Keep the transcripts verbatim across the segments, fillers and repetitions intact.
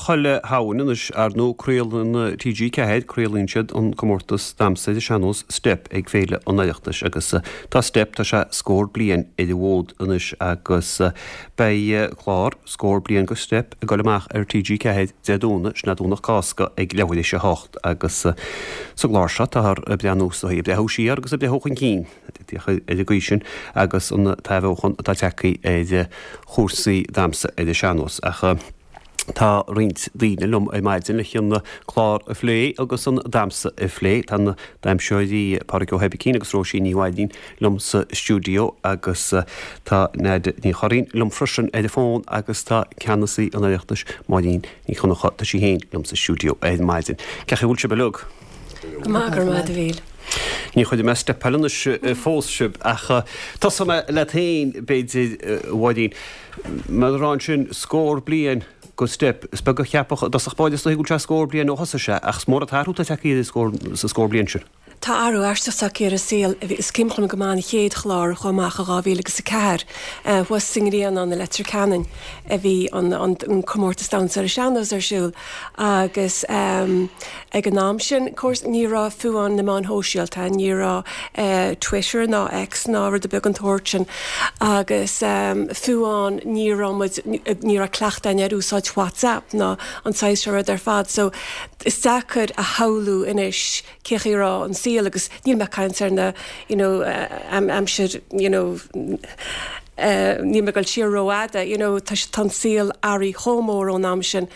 Chuile Shamhain anois, ar ndóigh, craolann T G Ceathair, craolann siad an comórtas damhsa ar an sean-nós Steip ag Féile an Oireachtais agus tá Steip, tá sé scór bliain ar an bhfód anois agus beidh clár scór bliain go Steip ag dul amach ar T G Ceathair Dé Domhnaigh, sin é Domhnach Cásca, ag leathuair théis a hocht agus sa gclár seo táthar ag breathnú is dóigh, ag breathnú siar agus ag breathnú chun cinn ar an gcaoi sin agus an t-athbheochan atá tagtha ar chúrsaí damhsa ar an sean-nós. Ach tá roinnt daoine liom ar maidin le an clár a phlé agus an damhsa a phlé. Tá na damhsóirí Pádraig Ó hOibicín agus Róisín Ní Mhaidín liom sa stiúideo agus tá Nadia Ní Churraoin liom freisin ar an bhfón agus tá ceannasaí an Oireachtais, Máirín Ní Chonchú, tá sí féin liom sa stiúideo ar maidin. Cén chaoi a bhfuil sibh uilig? Go maith, go maith, a Mhíl. Ní chuirfidh mé steipeáil anois fós sibh ach tosóidh mé leat féin b'fhéidir, Mháirín. Mar a rá ansin scór bliain go Steip. Is beag a cheapfadh i dtosach báire is dóigh go bhfuil sé scór bliain ó thosaigh sé, ach is mór an t-athrú atá tagtha air sa scór bliain sin. Tá athrú aisteach tagtha ar an saol. Is cuimhin liom go maith an chéad chlár a chuaigh amach i dhá mhíle agus a ceathair thuas sa nGrianán i Leitir Ceanainn a bhí an an comórtas damhsa ar an sean-nós ar siúl agus ag an am sin, of course, ní raibh fiú amháin na meáin shóisialta, ní raibh Twitter ná X ná rud ar bith den tsórt sin agus fiú amháin ní raibh muid, ní raibh cleachtadh againn ar úsáid WhatsApp ná an saghas seo rud ar fad so is deacair a shamhlú anois cé chaoi a raibh an saol agus níl mé ag caint ar na you know aimsir you know níl mé ag dul siar rófhada you know tá tá an saol athraithe chomh mór ón am sin.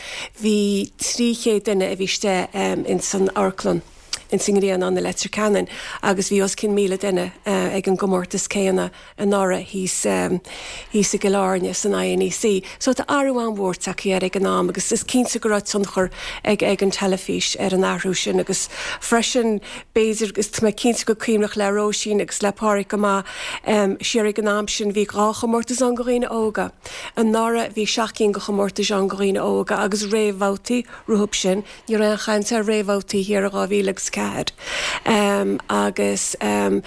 Bhí trí chéad duine a bhí istigh ins an amharclann ins an nGrianán i Leitir Ceanainn agus bhí os cionn míle duine ag an gcomórtas céanna anuraidh thíos thíos i gCill Airne san I N E C. So tá athrú an-mhór tagtha air ag an am agus is cinnte go raibh tionchar ag ag an teilifís ar an athrú sin agus freisin b'fhéidir is tá mé cinnte go cuimhneach le Róisín agus le Pádraig go maith um, siar ag an am sin bhí dhá chomórtas ann go dhaoine óga. Anuraidh bhí seacht gcinn go chomórtais ann go dhaoine óga agus réamhbhabhtaí rompu sin, ní raibh aon chaint ar réamhbhabhtaí thiar i dhá mhíle agus ceathair. Um, agus um,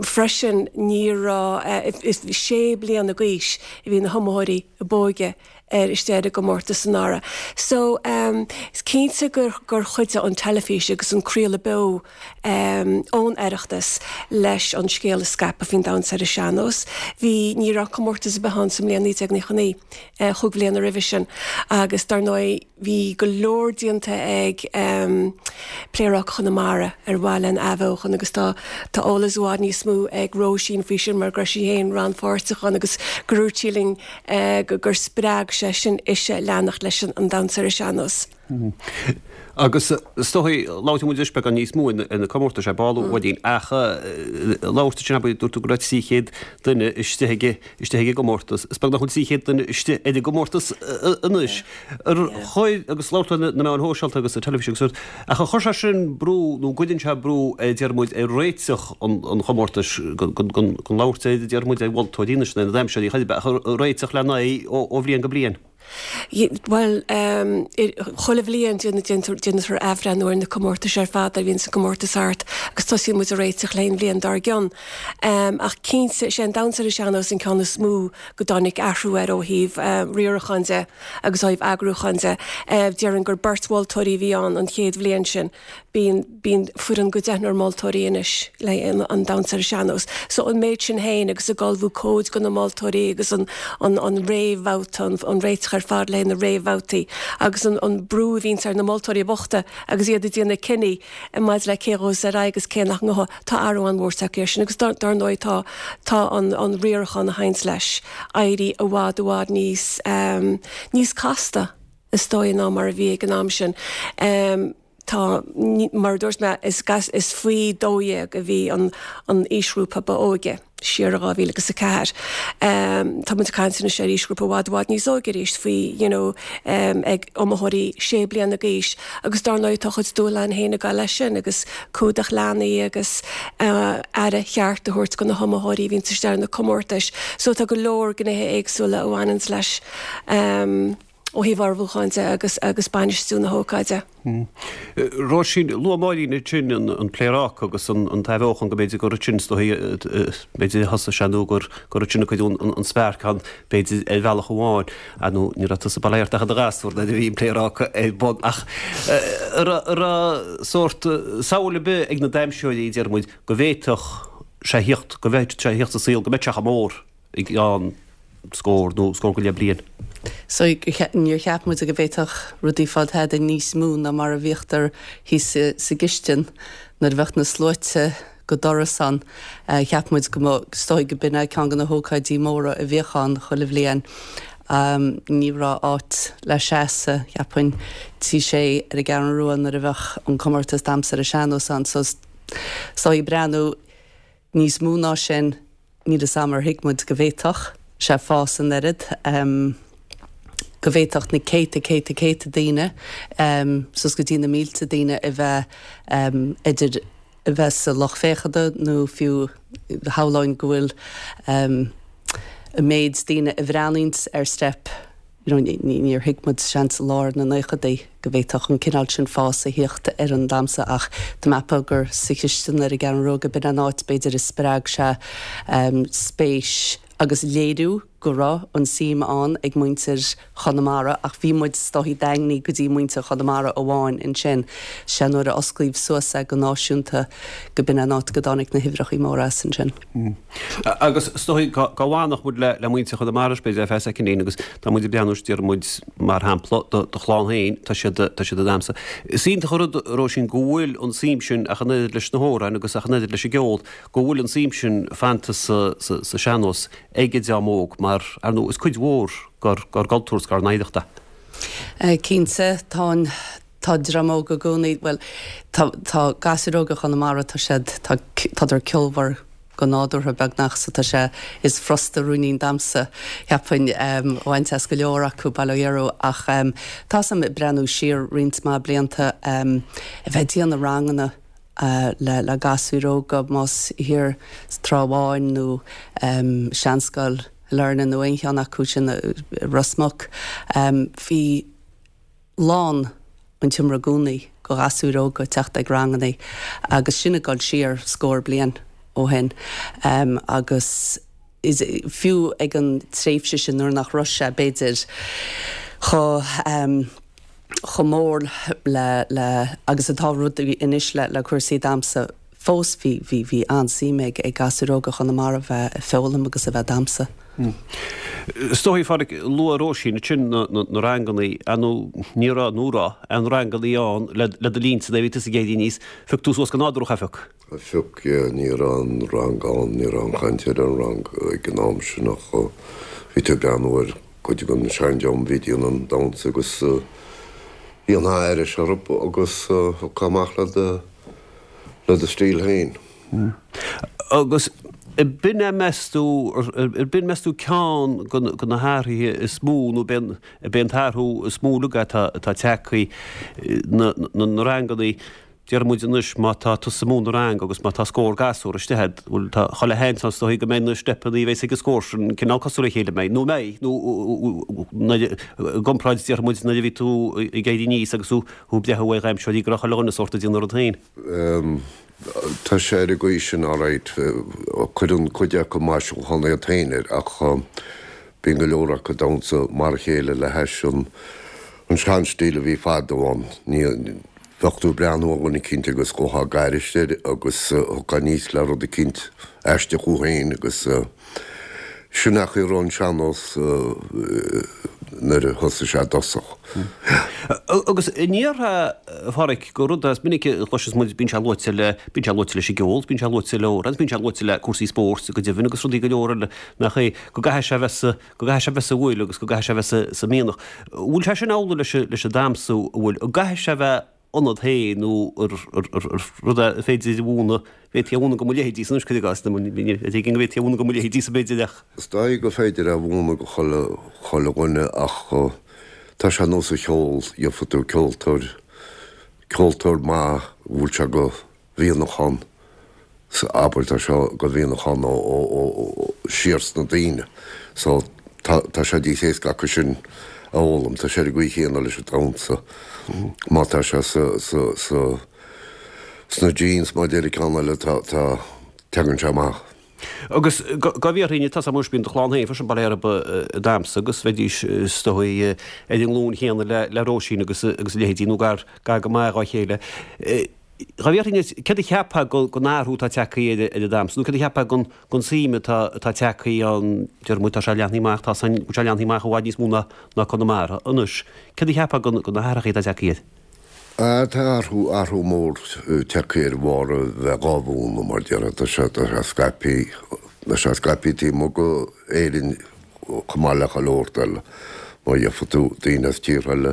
freisin ní raibh uh, sé bliana d'aois a bhí na hiomaitheoirí ab óige ar istigh ar an gcomórtas anuraidh. So um, is cinnte gur gur chuidigh an teilifís agus an craoladh beo um, ón Oireachtas leis an scéal a scaipeadh faoin damhsa ar an sean-nós. Bhí ní raibh comórtas ar bith ann sa mbliain naoi déag nócha naoi uh, chúig bhliana roimhe sin agus dar ndóigh bhí go leor déanta ag um, Pléaráca Chonamara ar mhaithe lena athbheochan agus tá tá eolas i bhfad níos mó ag Róisín faoi sin mar go raibh sí féin rannpháirteach ann agus gur dúirt sí linn uh, gur spreag sé sin ise leanacht leis an, an damhsa ar an sean-nós. Mm. Agus is dóigh labhróidh muid anois beagán níos mó ar na comórtais ar ball beagáinín ach labhairt sin dúirt tú go raibh trí chéad duine istigh ag istigh ag an gcomórtas. Is beag nach bhfuil trí chéad duine istigh ag an gcomórtas anois. Chuir agus labhairt na meáin shóisialta agus an teilifís agus ach a chuir sé sin brú nó gcuireann sé brú deir muid ar réiteach an chomórtais gan labhairt deir muid ar mholtóirí na na damhsóirí réiteach le n-aghaidh ó bhliain go bliain. Well um, chuile bhliain déantar athbhreithniú ar na comórtais ar fad a bhíonn sa comórtas thart agus tosaíonn muid ag réiteach leis an bhliain dár gcionn. Um, ach cinnte sé an damhsa ar an sean-nós an ceann is mó go dtáinig athrú air ó thaobh um, riaracháin de agus ó thaobh eagrúcháin de. Uh, Déarfainn gur beirt mholtóirí bhí ann an chéad bhliain sin. Bíonn bíonn foireann go deichniúr moltóirí anois le an, an damhsa ar an sean-nós. So an méid sin féin agus ag ullmhú cóid go na moltóirí agus an, an, an réamhbhabhta an, an réiteach ar fad le na réamhbhabhtaí agus an, an brú a bhíonn ar na moltóirí bochta agus iad ag déanamh cinní maidir le cé ghabhfas ar aghaidh agus cé nach ngabhfaidh tá athrú an-mhór tagtha air sin agus dar ndóigh tá tá an, an riarachán a théann leis éirithe i bhfad i bhfad níos um, níos casta is dóigh ná mar a bhí ag an am sin. Um, tá mar dúirt mé is gas is faoi dó dhéag a bhí an an aoisghrúpa ba óige siar dhá mhíle agus a ceathair. Um, tá muid caint anois ar aoisghrúpa i bhfad i bhfad níos óige arís faoi you know, um, ag iomaitheoirí sé bliana d'aois agus dar ndóigh tá chuid dúshlán féin ag leis sin agus cumhdach leanaí agus uh, aire cheart a thabhairt go na hiomaitheoirí bhíonn istigh ar na comórtais, so tá go leor gnéithe éagsúla a bhaineann leis. Um, ó thaobh ullmhúcháin de agus agus bainistiú na hócáide. Róisín, luaigh Máirín ansin an Pléaráca agus an t-athbheochan go mb'fhéidir gur ansin is dóichí b'fhéidir a thosaigh sé nó gur gur ansin a cuireadh an spark ann b'fhéidir ar bhealach amháin. Ar ndóigh ní raibh tusa bail ó Dhia ort ach i do ghasúr nuair a bhí an Pléaráca ar bun ach an raibh sórt samhail ar bith ag na damhsóirí deir muid go bhféadfadh sé thíocht go bhféadfadh sé thíocht sa saol go mbeadh sé chomh mór i gceann scór nó scór go leith bliain. So níor cheap muid go bhféadfadh rudaí fáil tada níos mó ná mar a bhíodar thíos sa gcistin nuair a bheadh na sluaite go doras ann. Cheap muid go mba, is dóigh go b'in é ceann de na hócáidí móra a bhíodh ann chuile bhliain. Ní raibh áit le seasamh, cheapfainn, Tigh Sé ar an gCeathrú Rua nuair a bheadh an comórtas damhsa ar an sean-nós ann. So is dóigh breathnú níos mó ná sin, níl 'fhios a'm ar thuig muid go bhféadfadh sé fás an oiread, go bhféadfadh na céadta, céadta, céadta daoine, suas go dtí na mílte daoine a bheith idir a bheith sa lucht féachana nó fiú shamhlóinn go bhfuil an méid daoine a bhreathnaíonns ar Steip, you know, níor thuig muid seans i lár na naochadaí go bhféadfadh an cineál sin fás a thíocht ar an damhsa ach tá mé ag ceapadh gur sa chistin ar an gCeathrú Rua go b'in an áit b'fhéidir a spreag sé spéis agus léiriú go raibh an suim ann ag muintir Chonamara ach bhí muid is dóichí daingnithe go dtí muintir Chonamara amháin ansin. Sé nuair a osclaíodh suas é go náisiúnta go b'in an áit go dtáinig na huimhreachaí móra as ansin. Agus is dóichí go bhfanfadh muid le muintir Chonamara b'fhéidir ar feadh soicindín agus tá muid ag breathnú deir muid mar shampla do do chlann féin tá siad tá siad ag damhsa. Is iontach an rud Róisín go bhfuil an suim sin ach an oiread leis na hamhráin agus ach an oiread leis an gceol go bhfuil an suim sin fanta sa sa sa sean-nós ag an dream óg mar ar ndóigh is cuid mhór dár dár gcultúr is dár n-oidhreacht é. Cinnte tá an tá dream óg i gcónaí bhuel tá tá gasúir óga Chonamara tá siad tá tádar ceolmhar go nádúrtha beagnach so tá sé is furasta ruainnín damhsa cheapfainn a bhaint as go leor acu bail ó Dhia orthu ach tá 'fhios a'm ag breathnú siar roinnt mhaith blianta a bheith ag déanamh ranganna le le gasúir óga más thiar sa Trá Bháin nó Seanscoil Shailearna nó aon cheann acu sin i Ros Muc bhí lán an tseomra i gcónaí go ghasúir óga ag teacht ag ranganna agus sin ag dul siar scór bliain ó shin agus is fiú ag an tréimhse sin nuair nach raibh sé b'fhéidir chomh chomh mór le le agus atá rudaí anois le le cúrsaí damhsa fós bhí bhí bhí an-suim ag ag gasúir óga Chonamara bheith ag foghlaim agus a bheith ag damhsa. Is dóigh, a Phádraic, luaigh Róisín ansin na rangannaí, ar ndóigh ní raibh, nó raibh, aon rangannaí ann le do linnse nuair a bhí tusa ag éirí aníos, phioc tú suas go nádúrach é, phioc? Phioc, yeah, ní raibh aon rang ann, ní raibh aon chaint ar an rang ag an am sin ach bhí tú ag breathnú ar cuid den seandream a bhí ag déanamh an damhsa agus dhéanfá aithris orthu agus thiocfá amach le do le do stíl féin. Agus b'in é meas tú, b'in meas tú ceann de na hathruithe is mó nó b'é an t-athrú is mó uilig atá tagtha na na rangannaí, deir muid anois má tá tusa ag múineadh rang agus má tá scór gasúr istigh agat, bhuel tá chuile sheans ann is dóigh go mbeidh na steipeanna a bheas ag an scór sin cineál cosúil le chéile, mbeidh nó mbeidh nó i gcomparáid déarfaidh muid nuair a bhí tú ag éirí aníos agus tú ag breathnú ar dhamhsóirí go raibh chuile dhuine sórt ag déanamh a rud féin. Tá sé ar an gcaoi sin alright. Cuireann cuid acu maisiúchán iad féin air ach bíonn go leor acu ag damhsa mar a chéile le hais an seanstíl a bhí fadó ann. Ní bheadh tú ag breathnú ar dhuine eicínt agus ghabhfá ag aithris air agus thiocfá aníos le rud eicínt aisteach thú féin agus Sin é an chaoi a raibh an sean-nós nuair a thosaigh sé i dtosach. Agus an ndéarfá, a Pháraic, gur rud é, is minic a chloiseas muid, bíonn sé luaite le, bíonn sé luaite leis an gceol, bíonn sé luaite le amhráin, bíonn sé luaite le cúrsaí spóirt go deimhin agus rudaí go leor eile, nach é, go gcaithfidh sé a bheith sa, go gcaithfidh sé a bheith sa bhfuil agus go gcaithfidh sé a bheith sa, sa mhianach. Bhfuil sé sin amhlaidh leis an, leis an damhsa, an bhfuil, an gcaithfidh sé a bheith ionat féin nó rud é ar féidir a mhúineadh, bhféadfaí a mhúineadh go mo leithéidísa anois, cuir i gcás, ar éigean go bhféadfaí a mhúineadh go mo leithéidísa b'fhéidir ach. Is dóigh gur féidir é a mhúineadh go chuile, chuile dhuine ach tá sé ar nós an cheoil, gheobhaidh tú ceoltóir, ceoltóir maith a bhfuil sé go mhianach ann, abair tá sé go mhianach ann ó, ó, ó, siar sna daoine so tá, tá sé níos éasca acu sin a fhoghlaim. Tá sé ar an gcaoi chéanna leis an damhsa. Má tá sé sa, sa, sa, sna genes, mar a deir an ceann eile, tá, tá, tagann sé amach. Agus dá bhfiafróinn, tá a fhios agam anois bíonn do chlann féin freisin bail orthu ag damhsa agus bheidís is dóigh ar an nglúin chéanna le le Róisín agus agus a leithéidí nó gar gar go maith dhá chéile. Dá bhfiafróinn céard a cheapfá gon athrú atá tagtha ar ar an damhsa nó céard a cheapfá gon gon suim atá atá tagtha ann deir muid tá sé leathnaithe amach tá san go sé leathnaithe amach i bhfad níos mó ná ná Conamara anois. Céard a cheapfá gon gon na hathrachaí atá tagtha air? Tá athrú, athrú mór tagtha air de bharr a bheith dhá mhúineadh, mar déarfá. Tá sé, tá sé scaipthe, tá sé scaipthe taobh amuigh go Éirinn chomh maith le chuile shórt eile. Má gheobhaidh tú daoine as tíortha eile,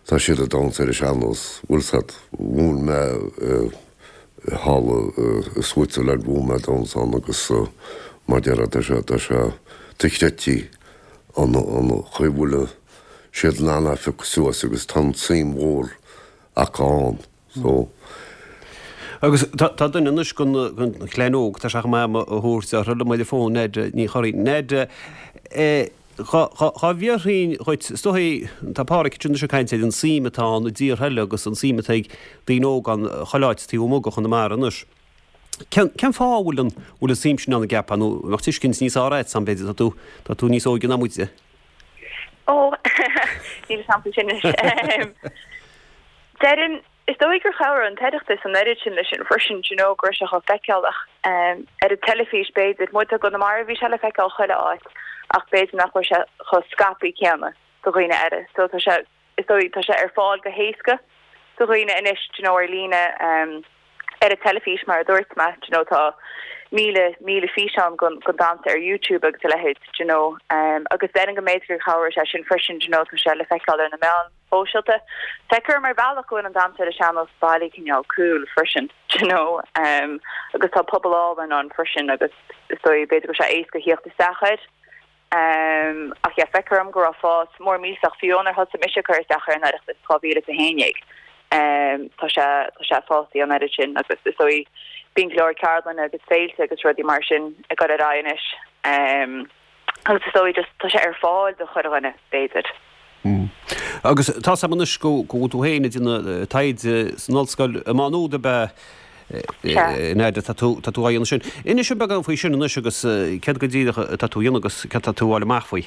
tá siad ag damhsa ar an sean-nós. Bhfuil 's agat, mhúin mé thall i Switzerland, mhúin mé damhsa ann agus mar déarfá, tá sé, tá sé dochreidte an, an chaoi a bhfuil siad in ann é a phiocadh suas agus tá an tsuim mhór acu ann so. Agus tá duine anois den chlann óg, tá sé chomh maith am a thabhairt orthu liom ar an bhfón, Ned Ní Churraoin. Ned, dhá bhfiafróinn dhuit, is dóigh, tá Páraic ansin anois ag caint ar an suim atá ann i dtíortha eile agus an suim atá ag daoine óga ann chuile áit taobh amuigh de Chonamara anois. Cén fáth a bhfuil an bhfuil an suim sin ann an gceapfá nó an mbeadh tuiscint níos fearr agat ann b'fhéidir, tá tú tá tú níos óige ná muide. Ó, níl a fhios agam faoi sin anois. Déarfainn, is dóigh gur chabhraigh an tOireachtas an oiread sin leis sin freisin, do you know, go raibh sé chomh feiceálach ar an teilifís b'fhéidir. Muid i gConamara bhí sé le feiceáil chuile áit ach b'fhéidir nach raibh sé chomh scaipthe céanna do dhaoine eile. So tá sé, is dóigh, tá sé ar fáil go héasca do dhaoine anois, do you know, ar líne, ar an teilifís mar a dúirt mé, do you know, tá míle, míle físeán den, den damhsa ar YouTube agus a leithéid, do you know, agus déarfainn go mb'fhéidir gur chabhraigh sé sin freisin, do you know, tá sé le feiceáil ar na meáin shóisialta. Feictear dom ar bhealach go bhfuil an damhsa ar an sean-nós bailithe cineál cool freisin, do you know, agus tá pobal álainn ann freisin agus is dóigh b'fhéidir go bhfuil sé éasca theacht isteach air. Ach yeah, feictear dom go raibh fás mór millteach fiú ónar thosaigh mise ag cur isteach ar an Oireachtas dhá mhíle is a haon déag. Tá sé tá sé fásta an oiread sin agus is dóigh bíonn go leor ceardlanna agus féilte agus rudaí mar sin ag dul ar aghaidh anois. Agus is dóigh just tá sé ar fáil do chuile dhuine, b'fhéidir. Agus tá 's agam anois go bhfuil tú féin ag déanamh taighde san ollscoil i Má Nuad ab ea? Nadia, tá tú tá tú á dhéanamh sin. Inis dúinn beagán faoi sin anois agus céard go díreach atá tú a dhéanamh agus céard atá tú a fháil amach faoi?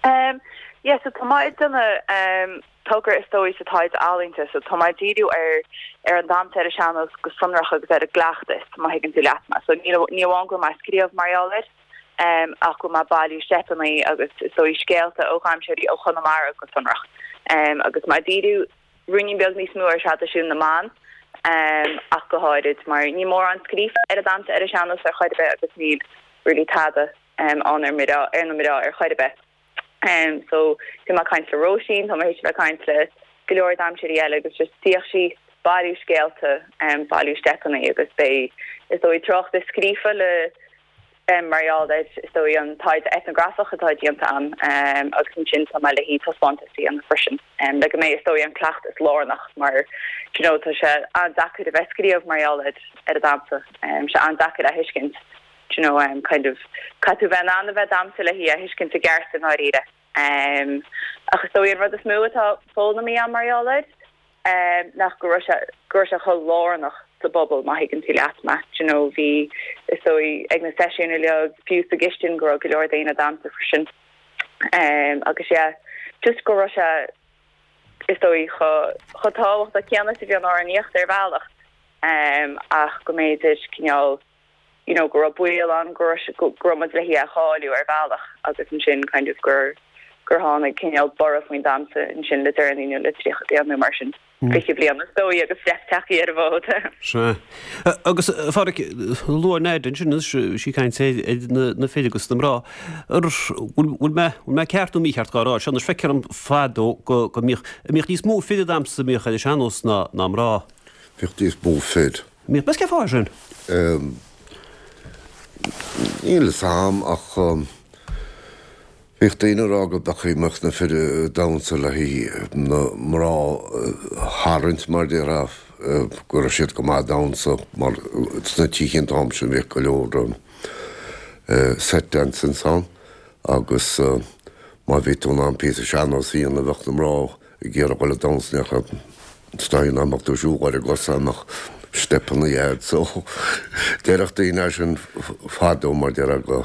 Um, yeah, so tá mé ag déanamh um, togra is dóigh sa taighde ealaíonta, so tá mé ag díriú ar ar an damhsa ar an sean-nós go sonrach agus ar an gcleachtas, má thuigeann tú leat mé. So ní ní amháin go bhfuil mé ag scríobh mar gheall air, um, ach go bhfuil mé ag bailiú steipeanna agus is dóigh scéalta ó dhamhsóirí ó Chonamara go sonrach. Um, agus mé ag díriú ruainnín beag níos mó ar thraidisiún na mban, um, ach go háirid mar níl mórán scríofa ar an damhsa ar an sean-nós ar chor ar bith agus níl really tada um, ann ar mná ar na mná ar chor ar bith. Um, so bhí mé ag caint le Róisín, tá mé théis a bheith ag caint le go leor damhsóirí eile agus just tíocht síos bailiú scéalta um, bailiú steipeanna agus beidh is dóigh tráchtas scríofa le um, mar gheall ar is dóigh an taighde etnografach atá déanta agam um, agus ansin tá mé le haghaidh taispeántas a dhéanamh freisin um, le go mbeidh is dóigh an cleachtas lárnach mar you know, tá sé an-deacair a bheith ag scríobh mar gheall ar ar an damhsa um, sé an-deacair a thuiscint you know, um, kind of caithfidh tú bheith in ann a bheith ag damhsa le hí a thuiscint i gceart i ndáiríre. Um, ach is dóigh an rud is mó atá foghlamtha agam mar gheall air um, nach go raibh sé go raibh sé chomh lárnach sa bpobal má thuigeann tú leat mé you know, bhí is dóigh ag na seisiúin uilig fiú sa gcistin go raibh go leor daoine ag damhsa freisin. Um, agus yeah, just go raibh sé is dóigh chomh chomh tábhachtach céanna is a bhí an amhránaíocht ar bhealach um, ach go mb'fhéidir cineál you know, go raibh baol ann go raibh go raibh muid le hí a chailleadh ar bhealach agus ansin kind of gur gur tháinig cineál borradh faoin damhsa ansin le deireanaí nó le tríocha bliain nó mar sin. Fiche bliain is dóigh agus Steip tagtha ar an bhfód. Sea. Agus a Pháraic, luaigh Nadia ansin anois, sí ag caint ar na fir agus na mná. Bhfuil mé bhfuil mé ceart nó mícheart dhá rá seo anois feictear dom fadó go go mbíodh mbíodh níos mó fir ag damhsa a mbíodh ar an sean-nós ná ná mná. Bhíodh níos mó fir. Mbíodh, meas cén fáth sin? Níl a fhios agam ach bhíodh daoine ag rá go b'fhéidir go mbeadh na fir ag damhsa le haghaidh na mná a tharraingt mar déarfá go raibh siad go maith ag damhsa mar sna tithe an t-am sin bhíodh go leor set dances ann agus Má bhí tú in ann píosa sean-nós a dhéanamh bheadh na mná ag iarraidh dhul ag damhsa is dóigh nach mbeadh tú ag siúl ar a gcosa mbeadh steipeanna agat so déarfadh daoine é sin fadó mar déarfá go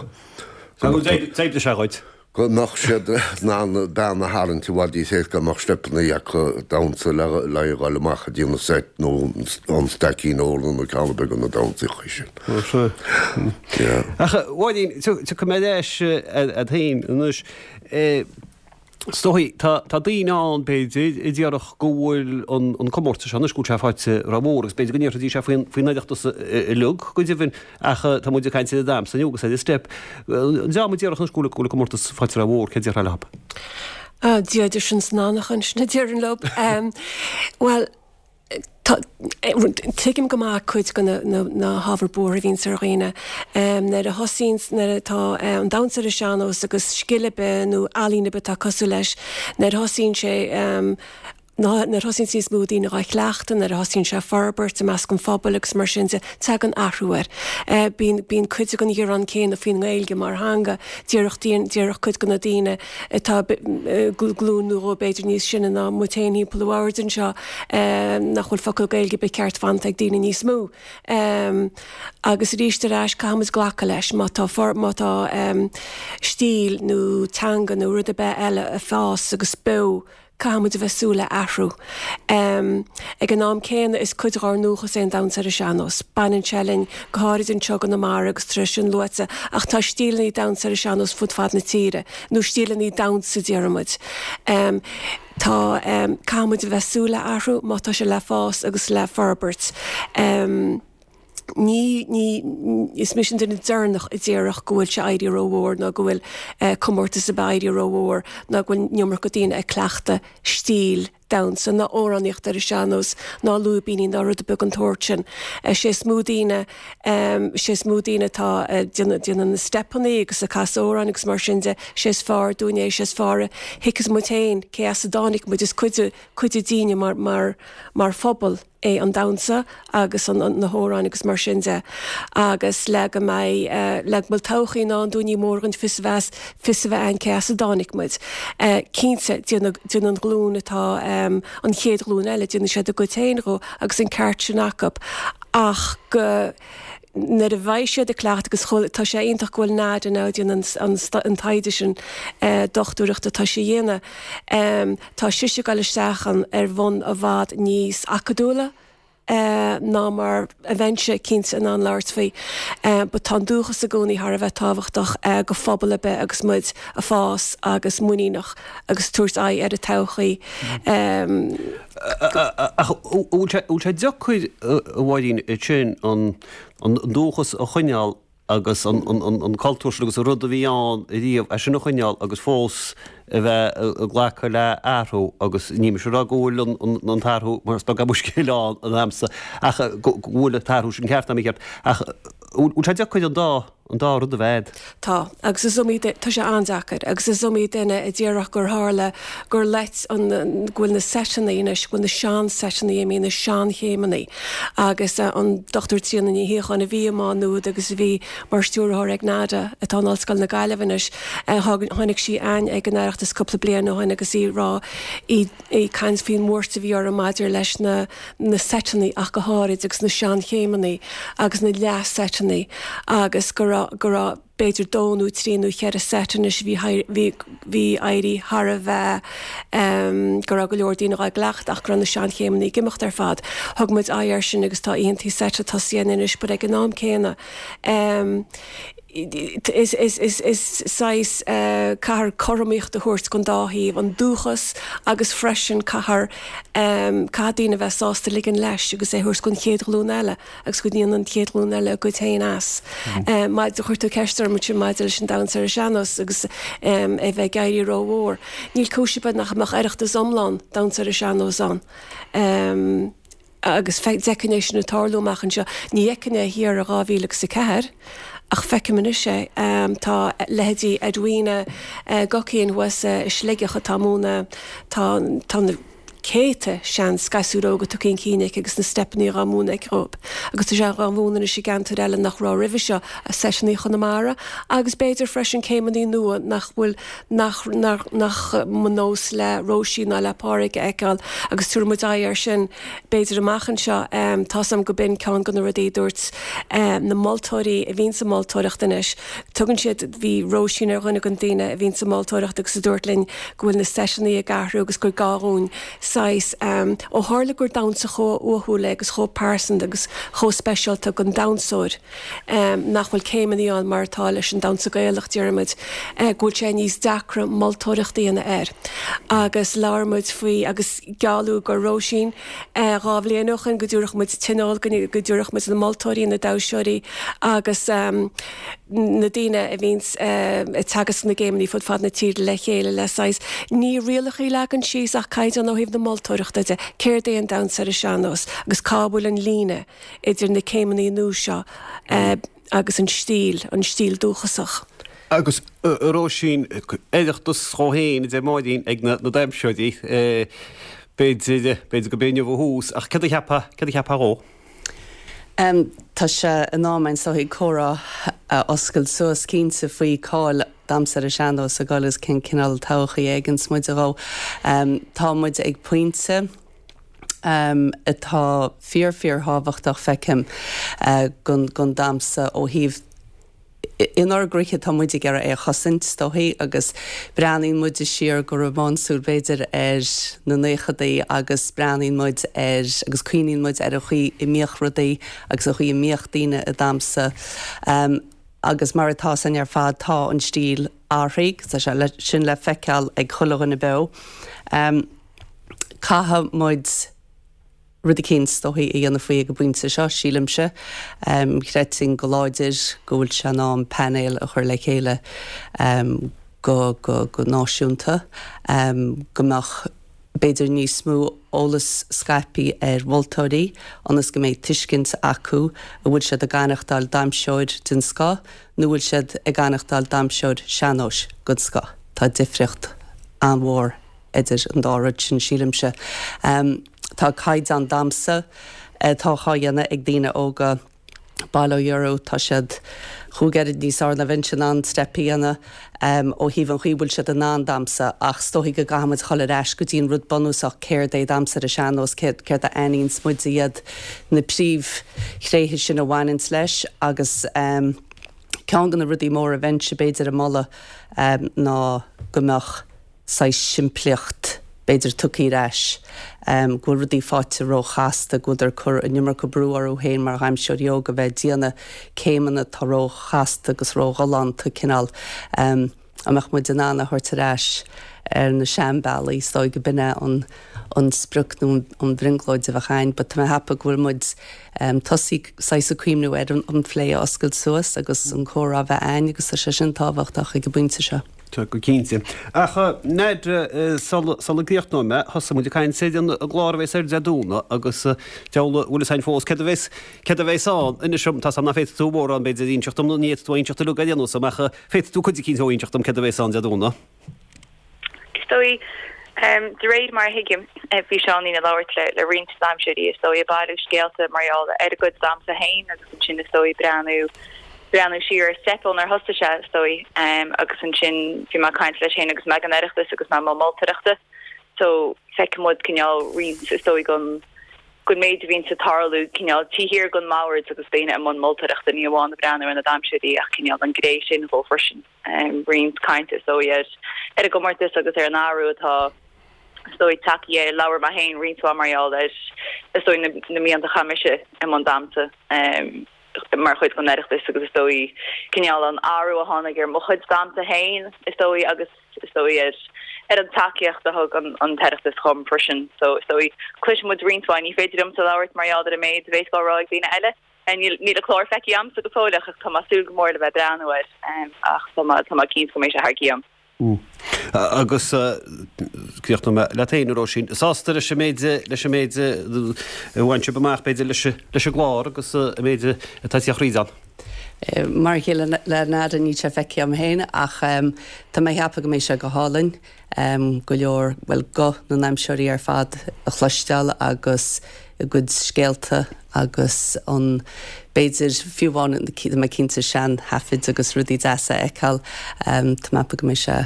D'oibrigh sé dhuit. go mbeadh siad in ann bean a tharraingt i bhfad níos éasca mbeadh steipeanna acu damhsa le le dhul amach go dtí an seit nó an Staicín Óir nó ceann ar bith de na damhsaíochaí sin. Yeah. Ach a Mháirín, tiocfaidh mé ar ais ort féin anois. Is dóigh, tá tá daoine ann, b'fhéidir, a déarfadh go bhfuil an an comórtas seo anois, go bhfuil sé faighte rómhór agus b'fhéidir go ndéarfaidís é faoin faoin Oireachtas uilig go deimhin ach tá muid ag caint ar an damhsa inniu agus ar an steip. An dream a déarfadh anois go bhfuil go bhfuil an comórtas faighte rómhór, céard a déarfá leo? Ah, Dia duit sin san anachain sin a déarfainn leo. Bhuel, Tá, tuigim go maith cuid de na hábhair buartha a bhíonns ar dhaoine. Nuair a thosaíonns, nuair atá an damhsa ar an sean-nós agus scil ar bith nó ealaín ar bith atá cosúil leis, nuair a thosaíonn sé, nuair a thosaíonns níos mó daoine dhá chleachtadh, nuair a thosaíonn sé ag forbairt i measc an phobail agus mar sin de, tagann athrú air. Bíonn, bíonn cuid den ghearán céanna faoin nGaeilge mar theanga, déarfadh, déarfadh cuid de na daoine atá glúin nó dhó b'fhéidir níos sine ná muid féin thimpeall an bhoird anseo, nach bhfuil focal Gaeilge ar bith ceart fanta ag daoine níos mó. Agus arís ar ais, caithfidh muid glacadh leis, má tá má tá stíl nó teanga nó rud ar bith eile ag fás agus beo, Caithfidh muid a bheith ag súil le athrú. Ag an am céanna, is cuid dhár ndúchas é an damhsa ar an sean-nós. Baineann sé linn, go háirid anseo i gConamara agus tá sé sin luaite, ach tá stíleanna damhsa ar an sean-nós fud fad na tíre, nó stíleanna damhsa, déarfaidh muid. Tá, caithfidh muid a bheith ag súil le athrú má tá sé le fás agus le forbairt. Ní, ní, is mise an duine deireanach a déarfadh go bhfuil sé éirithe rómhór nó go bhfuil comórtas ar bith éirithe rómhór ná go bhfuil an iomarca daoine ag cleachtadh stíl damhsa ná amhránaíocht ar an sean-nós ná lúibíní ná rud ar bith den tsórt sin. Sé is mó daoine, sé is mó daoine atá ag déanamh, déanamh na steipeanna agus ag casadh amhráin agus mar sin de, sé is fearr dúinn é, sé is fearr a thuigfeas muid féin cé as a dtáinig muid, is cuid de, cuid dínne mar, mar, mar phobal. é an damhsa agus na hamhráin agus mar sin de agus le go mbeidh, le go bhfuil todhchaí i ndán dúinn ní mór dhúinn fios a bheith, fios a bheith againn cé as a dtáinig muid. Cinnte, déanfaidh, déanfaidh an ghlúin atá, an chéad ghlúin eile, déanfaidh siad a gcuid féin dhó agus an ceart sin acu ach go, nuair a bheidh siad ag cleachtadh agus chomh, tá sé iontach go bhfuil Nada now ag déanamh an, an taighde sin dochtúireachta atá sí a dhéanamh. Tá sise ag dul isteach ann ar bhonn i bhfad níos acadúla ná mar a bheinnse cinnte in ann labhairt faoi. But tá an dúchas i gcónaí thar a bheith tábhachtach go phobal ar bith agus muid ag fás agus muiníneach agus tabhairt aghaidh ar an todhchaí. Ach an bhfuil sé deacair, a Mháirín, sin an an dúchas a choinneáil agus an cultúr sin agus an rud a bhí ann riamh, é sin a choinneáil agus fós a bheith ag glacadh le athrú agus ní mise ag rá go bhfuil an t-athrú, mar is beag an scéal ann a'msa, ach go bhfuil an t-athrú sin ceart ná mícheart. Ach bhfuil sé deacair an dá an dá rud a bheith a'd? Tá, agus is iomaí, tá sé an-deacair, agus is iomaí duine a déarfadh gur tharla gur loit an, go bhfuil na seiteanna anois, go bhfuil na sean-seiteanna imithe, na seanchéimeanna. Agus an Dochtúir Tríona Ní Shíocháin a bhí i Má Nuad agus a bhí mar stiúrthóir ag NADA, atá in Ollscoil na Gaillimhe anois, tháinig sí a'ainn ag an Oireachtas cúpla bliain ó shin agus í ag rá, í ag caint faoin mbuairt a bhí uirthi maidir leis na, na seiteanna ach go háirid agus na seanchéimeanna agus na leath-seiteanna agus go raibh, go raibh b'fhéidir dó nó trí nó cheithre seit anois a bhí, bhí, bhí éirí thar a bheith, go raibh go leor daoine dhá gcleachtadh ach go raibh na seanchéimeanna ag imeacht ar fad. Thug muid aghaidh air sin agus tá oícheantaí seite tosaithe againn anois but ag an am céanna, Is saghas, caithfear cothromaíocht a thabhairt don dá thaobh, an dúchas agus freisin caithfear, caithfidh daoine a bheith sásta ligean leis agus é a thabhairt don chéad ghlúin eile agus go ndéanann an chéad ghlúin eile a gcuid féin as. Maidir, chuir tú ceist orm ansin maidir leis an damhsa ar an sean-nós agus é a bheith ag éirí rómhór. Níl cúis ar bith nach mbeadh Oireachtas iomlán damhsa ar an sean-nós ann. Agus d'fheicfinn é sin ag tarlú amach anseo. Ní fheicfinn é thiar i dhá mhíle agus a ceathair, ach feicim anois é. Tá leithéidí Edwina Guckian thuas i Sligeach atá ag múineadh, tá, tá na céadta seans gasúir óga tugtha chun cinn aici agus na steipeanna dhá múineadh aici dhóibh. Agus tá sé dhá mhúineadh anois i gceantair eile nach raibh roimhe seo, seiseanna Chonamara agus b'fhéidir freisin céimeanna nua nach bhfuil nach nach nach mba nós le Róisín ná le Pádraig a fheiceáil agus tabharfaidh muid aghaidh air sin b'fhéidir amach anseo. Tá 's agam go b'in ceann de na rudaí a dúirt na moltóirí a bhíonn sa moltóireacht anois. Tugann siad, bhí Róisín ar dhuine den daoine a bhíonn sa moltóireacht agus a dúirt linn go bhfuil na seiseanna ag athrú agus gur gá dhúinn saghas, ó tharla gur damhsa chomh uathúil é agus chomh pearsanta agus chomh speisialta don damhsóir, nach bhfuil céimeanna ann mar atá leis an damhsa Gaelach, déarfaimid, go bhfuil sé níos deacra moltóireacht a dhéanamh air. Agus labhair muid faoi, agus gealladh do Róisín dhá bhliain ó shoin go dtabharfadh muid tionól, go dtabharfadh muid na moltóirí, na damhsóirí agus na daoine a bhíonns ag teagasc na gcéimeanna fud fad na tíre le chéile le saghas, ní rialacha a leagan síos ach caighdeán ó thaobh na moltóireachta de, céard é an damhsa ar an sean-nós agus cá bhfuil an líne idir na céimeanna nua seo agus an stíl, an stíl dúchasach. Agus a Róisín, Oireachtas dhó féin, a deir Máirín, ag na damhsóirí, b'fhéidir, b'fhéidir go b'é inniu a thús, ach céard a cheapfá, céard a cheapfá dhó? Tá sé in am is dóigh comhrá a oscailt suas cinnte faoi cáil damhsa ar an sean-nós ag dul agus cén cineál todhchaí a fheiceanns muide dhó. Tá muid ag pointe atá fíor fíor thábhachtach feicim don damhsa ó thaobh Inár gcroíthe tá muid ag iarraidh é a chosaint, is dóichí, agus breathnaíonn muide siar go rómánsúil b'fhéidir ar na naochadaí agus breathnaíonn muid ar agus cuimhníonn muid ar an chaoi a mbíodh rudaí agus an chaoi a mbíodh daoine ag damhsa. Agus mar atá 's againn ar fad tá an stíl athraithe, tá sé sin le feiceáil ag chuile dhuine beo. Caithfidh muid. rud eicínt, is dóichí, a dhéanamh faoi ag an bpointe seo, sílimse. Chreidfinn go láidir go bhfuil sé in am painéal a chur le chéile go, go, go náisiúnta, go mbeadh b'fhéidir níos mó eolas scaipthe ar mholtóirí ionas go mbeidh tuiscint acu an bhfuil siad ag aireachtáil damhsóir den scoth nó bhfuil siad ag aireachtáil damhsóir sean-nóis den scoth. Tá difríocht an-mhór idir an dá rud sin, sílimse. Tá caighdeán damhsa atá á dhéanamh ag daoine óga, bail ó Dhia orthu, tá siad chúig oiread níos fearr ná bheinnse in ann steip a dhéanamh ó thaobh an chaoi a bhfuil siad in ann damhsa ach is dóichí go gcaithfidh muid dhul ar ais go dtí an rud bunúsach, céard é damhsa ar an sean-nós, céard a aithníonns muid iad na príomhthréithe sin a bhaineanns leis agus ceann de na rudaí móra a bheinnse b'fhéidir ag moladh ná go mbeadh saghas simplíocht, b'fhéidir, tugtha ar ais, go bhfuil rudaí faighte róchasta, go bhfuiltear ag cur an iomarca brú orthu féin mar dhamhsóirí óga bheith ag déanamh céimeanna atá róchasta agus róghalánta, cineál. An mbeadh muid in ann a thabhairt ar ais ar na seanbhealaí, is dóigh go b'in é an an sprioc nó an bhrionglóid a bheadh againn, but tá mé ag ceapadh go bhfuil muid tosaithe saghas ag cuimhniú ar an phlé a oscailt suas agus an comhrá a bheith againn agus tá sé sin tábhachtach ag an bpointe seo. Tá, go cinnte. Ach, n'fheadar, sula gcríochnóidh mé, thosaigh muid ag caint ar an gclár a bheas ar Dé Domhnaigh agus deabhal an bhfuil fhios a'inn fós céard a bheas, céard a bheas ann. Inis dom, tá 's a'm nach bhféadfaidh tú mórán b'fhéidir a inseacht dom, nó ní fhéadfaidh tú a inseacht uilig ar aon nós dom, ach féadfaidh tú cuid eicínt a inseacht dom céard a bheas ann Dé Domhnaigh. Is dóigh, de réir mar a thuigim, bhí Seáinín ag labhairt le roinnt damhsóirí, is dóigh, ag bailiú scéalta mar gheall ar a gcuid damhsa féin agus ansin is dóigh breathnú breathnú siar ar Steip ónar thosaigh sé, is dóigh, agus ansin bhí mé ag caint leis féin agus mé ag an Oireachtas agus mé i mbun moltóireachta so feicfidh muid cineál roinnt, is dóigh, den den méid a bhíonns ag tarlú cineál taobh thiar den mbord agus daoine i mbun moltóireachta, ní amháin ag breathnú ar na damhsóirí ach cineál an ghné sin dhó freisin. Roinnt cainte is dóigh ar ar an gcomórtas agus ar an athrú atá is dóigh tagtha air. Labhair mé féin roinnt mhaith mar gheall ar is dóigh na na blianta a chaith mise i mbun damhsa. mar chuid den Oireachtas agus is dóigh cineál an athrú a tháinig ar mo chuid damhsa féin is dóigh agus is dóigh ar ar an tacaíocht a thug an an tOireachtas dhom freisin. So is dóigh cloisfidh muid roinnt mhaith, ní féidir liomsa labhairt mar gheall ar an méid a bheas á rá ag daoine eile. Níl níl an clár feicthe agamsa go fóill ach tá mé ag súil go mór le bheith ag breathnú air ach tá mé tá mé cinnte go mbeidh sé thar cionn. Agus críochnóidh mé leat féin, a Róisín. Sásta leis an méid, leis an méid a bhain sibh amach, b'fhéidir, leis an gclár agus an méid atá ag tíocht thríd ann? Mar a chéile le Nada níl sé feicthe agam féin ach tá mé ag ceapadh go mbeidh sé go hálainn go leor, bhuel guth na ndamhsóirí ar fad a chloisteáil agus a gcuid scéalta agus an b'fhéidir fiú amháin tá mé cinnte sean thaifid agus rudaí deasa a fheiceáil. Tá mé ag ceapadh go mbeidh sé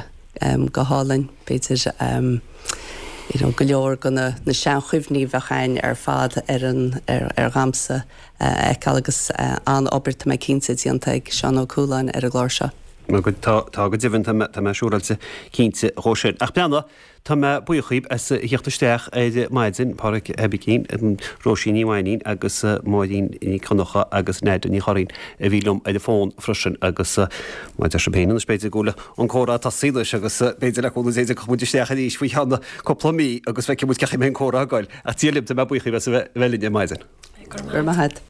go hálainn b'fhéidir you know go leor de na na seanchuimhní a bheadh againn ar fad ar an ar ar dhamhsa a fheiceáil agus an-obair tá mé cinnte déanta ag Seán Ó Cualáin ar an gclár seo. Tá tá go deimhin tá mé tá mé siúráilte cinnte dhó sin. Ach breathnaigh, tá mé buíoch dhíbh as a thíocht isteach ar maidin, Páraic Aibicín, Róisín Ní Mhainín agus Máirín Nic Dhonncha agus Nada Ní Churraoin a bhí liom ar an bhfón freisin agus mar a deir sibh féin anois b'fhéidir go bhfuil an comhrá tosaithe anois agus b'fhéidir le cúnamh Dé tiocfaidh muid isteach arís faoi cheann cúpla mí agus feicfidh muid cén chaoi a mbeidh an comhrá ag goil. Ach Dia libh, tá mé buíoch dhíbh as a bheith linn ar maidin. Go raibh maith agat.